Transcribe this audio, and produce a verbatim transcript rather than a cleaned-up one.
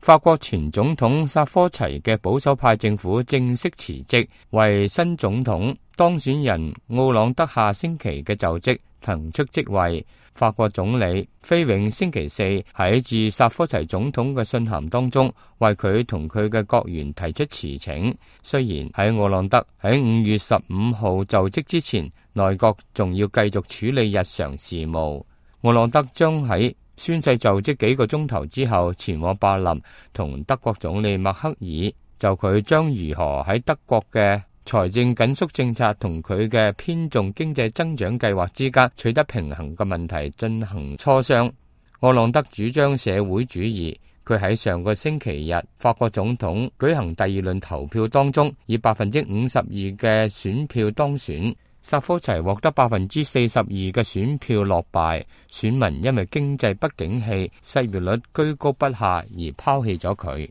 法國前總統薩科齊嘅保守派政府正式辭職，為新總統當選人奧朗德下星期嘅就職騰出職位。法國總理菲永星期四喺致薩科齊總統嘅信函當中，為佢同佢嘅國員提出辭請。雖然喺奧朗德喺五月十五號就職之前，內閣仲要繼續處理日常事務。奧朗德將喺宣誓就職幾個鐘頭之後前往柏林，同德國總理默克爾就佢將如何喺德國嘅財政緊縮政策同佢嘅偏重經濟增長計劃之間取得平衡嘅問題進行磋商。奧朗德主張社會主義，佢喺上個星期日法國總統舉行第二輪投票當中，以百分之五十二嘅選票當選。薩科齊獲得百分之四十二嘅選票落敗，選民因為經濟不景氣、失業率居高不下而拋棄咗佢。